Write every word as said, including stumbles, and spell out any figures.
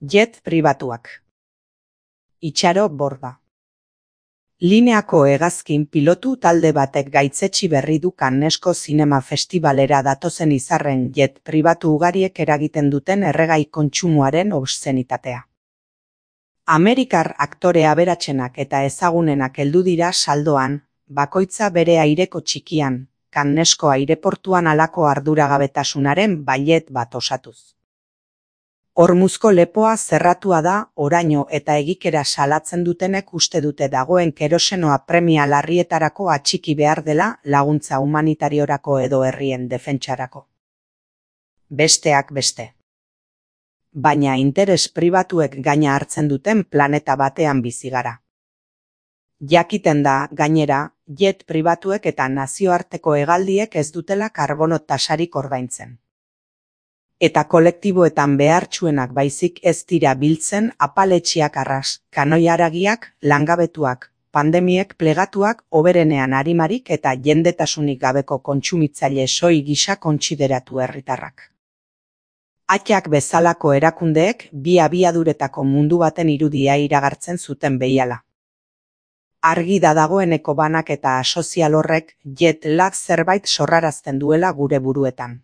Jet pribatuak. Itxaro Borda. Lineako hegazkin pilotu talde batek gaitzetsi berri du Cannesko Zinema Festivalera datozen izarren jet pribatu ugariek eragiten duten erregai kontsumoaren obszenitatea. Amerikar aktore aberatsenak eta ezagunenak heldu dira saldoan, bakoitza bere aireko txikian, Cannesko aireportuan halako arduragabetasunaren bailet bat osatuz. Hormuzko lepoa zerratua da, oraino eta egikera salatzen dutenek uste dute dagoen kerosenoa premia larrietarako atxiki behar dela laguntza humanitariorako edo herrien defentsarako. Besteak beste. Baina interes pribatuek gaina hartzen duten planeta batean bizi gara. Jakiten da, gainera, jet pribatuek eta nazioarteko hegaldiek ez dutela karbono tasarik ordaintzen. Eta kolektiboetan behartsuenak baizik ez dira biltzen apaletxiak arras, kanoiaragiak, langabetuak, pandemiek plegatuak, oberenean arimarik eta jendetasunik gabeko kontsumitzaile soi gisa kontsideratu herritarrak. Atxak bezalako erakundeek bi abiaduretako mundu baten irudia iragartzen zuten behiala. Argi da dagoeneko banak eta asozial horrek jet lag zerbait sorrarazten duela gure buruetan.